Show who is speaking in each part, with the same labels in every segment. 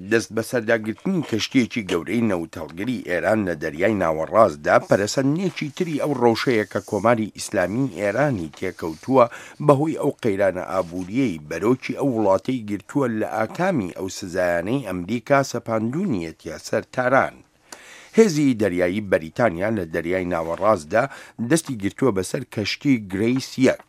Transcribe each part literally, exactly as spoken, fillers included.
Speaker 1: دەستبەسەرداگرتنی کەشتییەکی گەورەی نەوتهەڵگری ئێران لە دەریای ناوەڕاستدا پەرەسەندنێکی تری ئەو ڕەوشەیە کە کۆماری ئیسلامیی ئێرانی تێکەوتووە بەهۆی ئەو قەیرانە ئابوورییەی بەرۆکی ئەو وڵاتەی گرتووە لە ئاکامی ئەو سزایانەی ئەمریکا سەپاندوونیەتیە سەر تاران. هێزی دەریایی بەریتانیا لە دەریای ناوەڕاستدا دەستی گرتووە بەسەر کەشتی گرەیس یەک.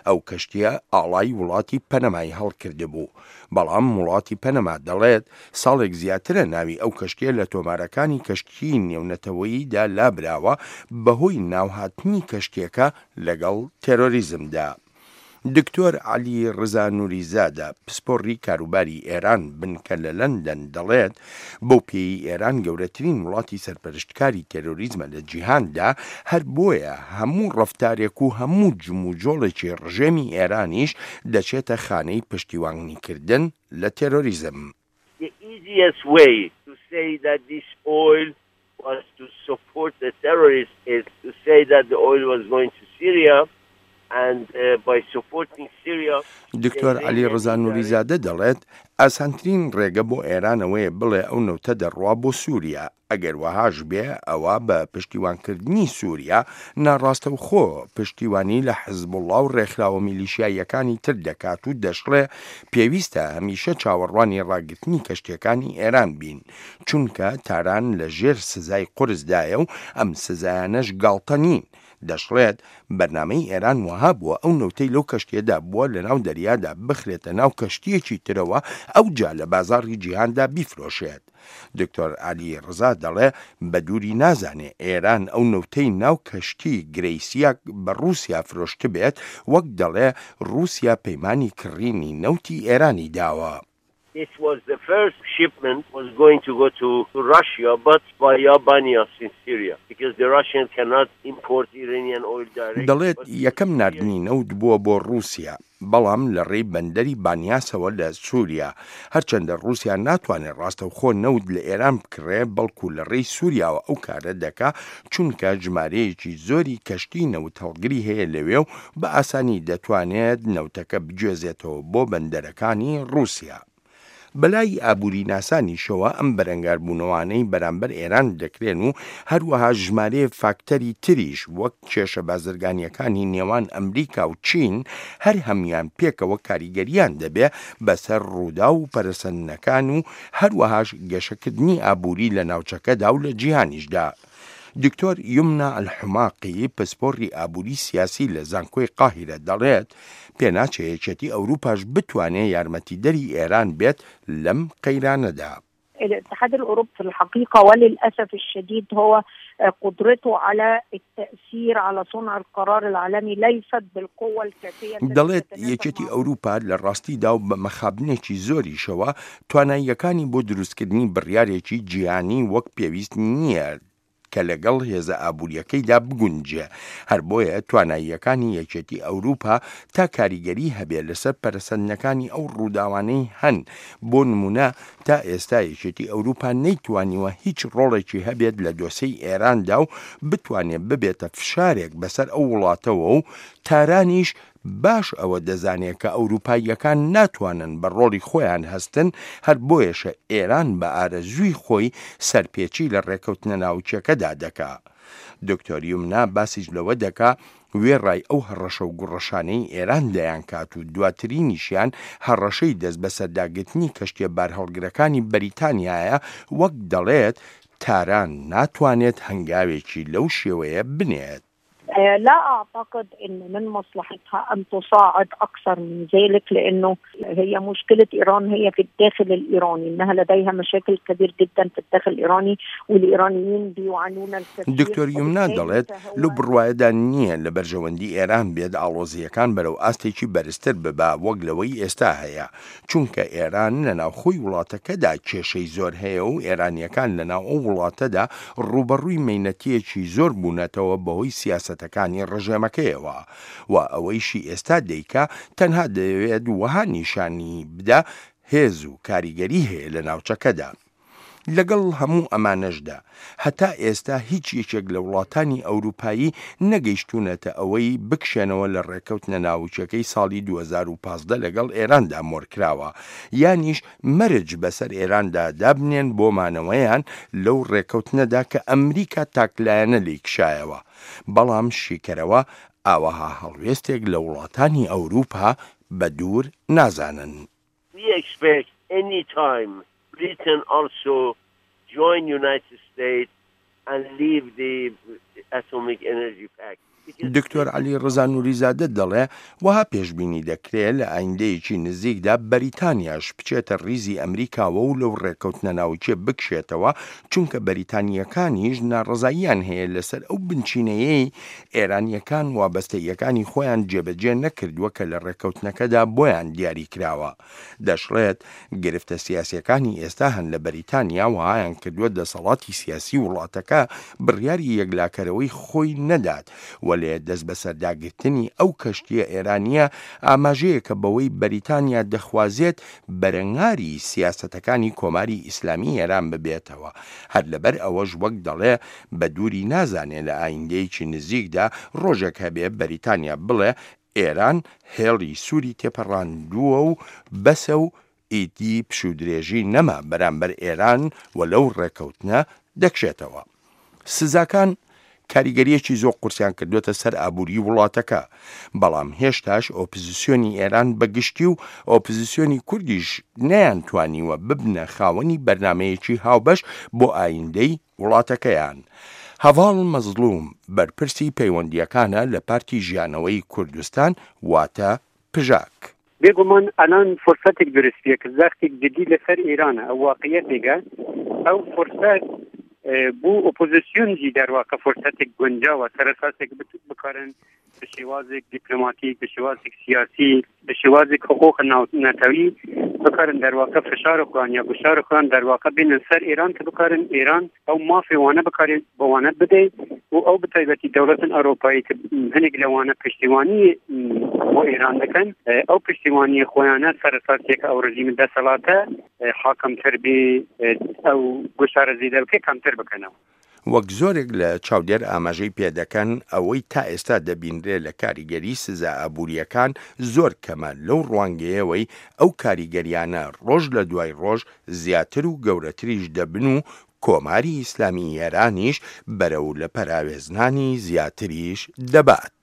Speaker 1: ئەو کەشتییە ئاڵای وڵاتی پەنەمای هەڵکردبوو. بەڵام وڵاتی پەنەما دەڵێت ساڵێک زیاترە ناوی ئەو کەشتییە لە تۆمارەکانی کەشتیی نێونەتەوەییدا لابراوە بەهۆی ناوهاتنی کەشتییەکە لەگەڵ تێرۆریزمدا. دکتۆر عەلی ڕزا نوریزادە، پسپۆڕی کاروباری ئێران بنکە لە لەندەن دەڵێت، بەو پێیەی ئێران گەورەترین وڵاتی سەرپەرشتکاری تێرۆریزمە لە جیهاندا، هەر بۆیە هەموو ڕەفتارێک و هەموو جموجۆڵێکی ڕژێمی ئێرانیش دەچێتە خانەی پشتیوانیکردن لە تێرۆریزم.
Speaker 2: The easiest way to say that this oil was to support the terrorists is to say that the oil was going to Syria and by supporting Syria
Speaker 1: دکتۆر عەلی ڕەزا نوریزادە دەڵێت، ئاسانترین ڕێگە بۆ ئێران ئەوەیە بڵێ ئەو نەوتە دەڕوا بۆ سوریا، ئەگەر وەهاش بێ ئەوا بە پشتیوانکردنی سوریا ناڕاستەوخۆ پشتیوانی لە حزبوڵا و ڕێکخراوە میلیشیاییەکانی تر دەکات و دەشڵێ پێویستە هەمیشە چاوەڕوانی ڕاگرتنی کەشتیەکانی ئێران بین چونکە تاران لە ژێر سزای قورسدایە و ئەم سزایانەش گاڵتە نین. دەشڵێت، بەرنامەی ئێران وەها بووە ئەو نەوتەی لەو کەشتییەدا بووە لەناو دەریادا بخرێتە ناو کەشتییەکی ترەوە ئەوجا لە بازاڕی جیهاندا بیفرۆشێت. دکتۆر عەلی ڕزا دەڵێ بە دووری نازانێ ئێران ئەو نەوتەی ناو کەشتی گرەیسیاک بە ڕووسیا فرۆشتبێت، وەک دەڵێ ڕووسیا پەیمانی کڕینی نەوتی ئێرانی داوە.
Speaker 2: This was the first shipment was going to go to Russia but via Banias in Syria because the Russian cannot import Iranian oil directly.
Speaker 1: دەڵێت یەکەم ناردنی نەوت بووە بۆ ڕووسیا، بەڵام لە ڕێی بەندەری بانیاسەوە لە سووریا، هەرچەندە ڕووسیا ناتوانێت ڕاستەوخۆ نەوت لە ئێران بکڕێ، بەڵکو لە ڕێی سووریاوە ئەو کارە دەکا، چونکە ژمارەیەکی زۆری کەشتی نەوتهەڵگری هەیە لەوێ و بە ئاسانی دەتوانێت نەوتەکە بگوێزێتەوە بۆ بەندەرەکانی ڕووسیا. بەلای ئابووریناسانیشەوە ئەم بەرەنگاربوونەوانەی بەرامبەر ئێران دەکرێن و هەروەها ژمارەیەک فاکتەری تریش وەک کێشە بازرگانییەکانی نێوان ئەمریکا و چین هەر هەموویان پێکەوە کاریگەرییان دەبێ بەسەر ڕووداو و پەرەسەندنەکان و هەروەهاش گەشەکردنی ئابووری لە ناوچەکەدا و لە جیهانیشدا. دکتۆر یومنا ئەلحوماقی پسپۆڕی ئابووری سیاسی لە زانکۆی قاهیرە دەڵێت، پێناچێ یەکێتی ئەوروپاش بتوانێ یارمەتیدەری ئێران بێت لەم قەیرانەدا.
Speaker 3: الاتحاد الأوروبي في الحقيقة وللأسف الشديد هو قدرته على التأثير على صنع القرار العالمي ليست بالقوة الكافية.
Speaker 1: دەڵێت یەکێتی ئەوروپا لە ڕاستیدا و بە مەخابنێکی زۆریشەوە تواناییەکانی بۆ دروستکردنی بڕیارێکی جیهانی وەک پێویست نییە کە لەگەڵ هێزە ئابوورییەکەیدا بگونجێ، هەر بۆیە تواناییەکانی یەکێتی ئەوروپا تا کاریگەری هەبێ لەسەر پەرەسەندنەکانی ئەو ڕووداوانەی هەن، بۆ نموونە تا ئێستا یەکێتی ئەوروپا نەیتوانیوە هیچ ڕۆڵێکی هەبێت لە دۆسێی ئێراندا و بتوانێ ببێتە فشارێک بەسەر ئەو وڵاتەوە و تارانیش باش ئەوە دەزانێ کە ئەوروپاییەکان ناتوانن بە ڕۆڵی خۆیان هەستن، هەر بۆیەشە ئێران بە ئارەزووی خۆی سەرپێچی لە ڕێکەوتنە ناوکیەکەدا دەکا. دکتۆر یومنا باسیش لەوە دەکا وێڕای ئەو هەڕەشە و گوڕەشانەی ئێران دەیانکات و دواترینیشیان هەڕەشەی دەستبەسەرداگرتنی کەشتیە بارهەڵگرەکانی بەریتانیایە، وەک دەڵێت تاران ناتوانێت هەنگاوێکی لەو شێوەیە بنێت.
Speaker 3: لا أعتقد أن من مصلحتها أن تصاعد أكثر من ذلك، لأنه هي مشكلة إيران هي في الداخل الإيراني، أنها لديها مشاكل كبير جدا في الداخل الإيراني والإيرانيين بيعانون الكثير.
Speaker 1: دکتۆر یومنا دەڵێت لەو بڕوایەدا نییە لە بەرژەوەندی ئێران بێت ئاڵۆزییەکان بەرەو ئاستێکی بەرزتر ببا وەک لەوەی ئێستا هەیە، چونکە ئێران لە ناوخۆی وڵاتەکەدا کێشەی زۆر هەیە و ئێرانییەکان لەناو ئەو وڵاتەدا ڕووبەڕووی مەینەتییەکی زۆر بوونەتەوە بەهۆی سیاسەتەکانی ڕژێمەکەیەوە و ئەوەیشی ئێستا دەیکا تەنها دەیەوێت وەها نیشانی بدا هێز و کاریگەری هەیە لە ناوچەکەدا. لەگەڵ هەموو ئەمانەشدا هەتا ئێستا هیچ یەکێک لە وڵاتانی ئەوروپایی نەگەیشتوونەتە ئەوەی بکشێنەوە لە ڕێکەوتنە ناوچەکەی ساڵی دوو هەزار و پازدە لەگەڵ ئێراندا مۆرکراوە، یانیش مەرج بەسەر ئێراندا دابنێن بۆ مانەوەیان لەو ڕێکەوتنەدا کە ئەمریکا تاکلایەنە لێی کشایەوە. بەڵام شیکەرەوە ئاوەها هەڵوێستێک لە وڵاتانی ئەوروپا بە دوور نازانن.
Speaker 2: We expect any time Britain also join United States and leave the Atomic Energy Pact.
Speaker 1: دکتۆر عەلی ڕەزا نوریزادە دەڵێ وەها پێشبینی دەکرێ لە ئایندەیەکی نزیکدا بەریتانیاش بچێتە ڕیزی ئەمریکاوە و لەو ڕێکەوتنە ناوچێ بکشێتەوە، چونکە بەریتانیەکانیش ناڕەزاییان هەیە لەسەر ئەو بنچینەیەی ئێرانیەکان وابەستەیەکانی خۆیان جێبەجێ نەکردووە کە لە ڕێکەوتنەکەدا بۆیان دیاری کراوە. دەشڵێت گرفتە سیاسیەکانی ئێستا هەن لە بەریتانیا وهایان کردووە دەسەڵاتی سیاسی وڵاتەکە بڕیاری یەکلاکەرەوەی خۆی نەدات، وەلێ دەست بەسەرداگرتنی ئەو کەشتیە ئێرانیە ئاماژەیەکە بەوەی بەریتانیا دەخوازێت بەرەنگاری سیاسەتەکانی کۆماری ئیسلامی ئێران ببێتەوە. هەر لەبەر ئەوەش وەک دەڵێ بە دووری نازانێ لە ئایندەیەکی نزیکدا ڕۆژێک هەبێ بەریتانیا بڵێ ئێران هێڵی سووری تێپەڕاندووە و بەسە و ئیدی پشوودرێژی نەما بەرامبەر ئێران و لەو ڕێکەوتنە دەکشێتەوە. سزاکان کاریگەریەکی زۆر قورسیان کردوێتە سەر ئابووری وڵاتەکە، بەڵام هێشتاش ئۆپۆزیسیۆنی ئێران بەگشتی و ئۆپۆزیسیۆنی کوردیش نەیانتوانیوە ببنە خاوەنی بەرنامەیەکی هاوبەش بۆ ئایندەی وڵاتەکەیان. هەڤاڵ مەزڵوم بەرپرسی پەیوەندیەکانە لە پارتی ژیانەوەی کوردستان واتە پژاک.
Speaker 4: بێگومان ئەلان فرسەتێک دروست بێ کە زەختێک جدی لەسەر ئێرانە، ئەو واقعیەتێکە، ئەو فرسەت بۆ ئۆپۆزیسیۆن جی دەرواقع فرسەتێک گونجاوە سەر ئەساسێک بکارن بە شێوازێک دیپلۆماتیک، بە شێوازێک سیاسی، بە شێوازێک حقوق نەتەوی بکارن دەرواقع فشار خۆیان یا گوشار خۆیان دەرواقع بینن سەر ئێران کە بکارن ئێران ئەو مافی وانە بکارێت بەوانە بدەی و ئەو بەتایبەتی دەوڵەتن ئەوروپایی کە هەنێک لەوانە پشتیوانی بۆ ئێران دەکەن، ئەو پشتیوانی خۆیانە سەر ئەساسێک ئەو ڕژیم دەسەڵاتە حاکمتر بێ، ئەو گوشارە زیادە بکە کەمتر بکەنەوە.
Speaker 1: وەک زۆرێک لە چاودێر ئاماژەی پێدەکەن ئەوەی تا ئێستا دەبینرێ لە کاریگەری سزا ئابووریەکان زۆر کەمە لەو ڕوانگەیەوەی ئەو کاریگەریانە ڕۆژ لە دوای ڕۆژ زیاتر و گەورەتریش دەبن و کۆماری ئیسلامی ئێرانیش بەرەو لە پەراوێزنانی زیاتریش دەبات.